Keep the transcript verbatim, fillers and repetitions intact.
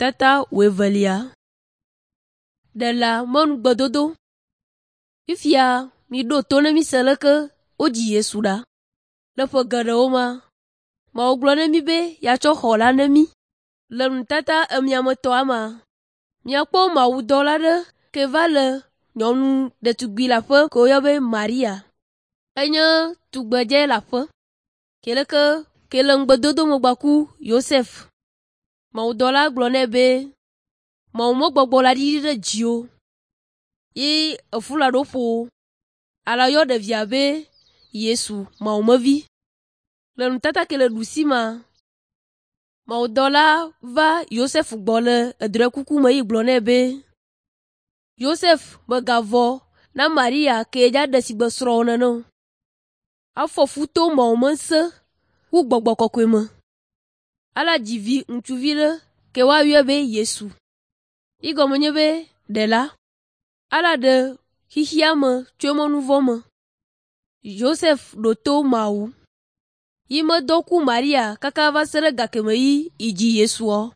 Tata wuievelia. Ɖela mɔnugbedodo. Fifia miɖo to ne míse leke wodzi Yesu ɖa. Le ƒe geɖewo mea, Mawu gblɔ na mí be yeatsɔ xɔ la na mí. Le nutata emiametɔa mea, míakpɔ mawudɔla aɖe ke va le nyɔnu ɖetugbi le aƒe ke woyɔ be Maria. Enye tugbedze le aƒe ke leke ke le ŋugbedodo me gbaku Yosef. Mawudɔla gblɔ nɛ be Mawu me gbɔgbɔ la ɖiɖi ɖe dziwò ye efu la ɖo ƒo wò. Ale yɔ ɖevia be Yesu Mawumevi. Le nutata ke le ɖusi mea, mawudɔla va Yosef gbɔ le edrɔ̃ekuku me yi gblɔ nɛ be, Yosef mègavɔ̃ na Maria ke dza ɖe sigbe srɔ̃wò nene o. Afɔ fu to Mawu me ŋusẽ ku gbɔgbɔ kɔkɔe me. Ala dzi vi ŋutsuvi ɖe ke woayɔe be Yesu. Yi gɔme nye be ɖela. Ala ɖe xexea me tso eƒe nu vɔ̃ me. Yosef ɖo to Mawu. Yi medɔ ku Maria kaka va se ɖe gakeme yi idzi Yesua.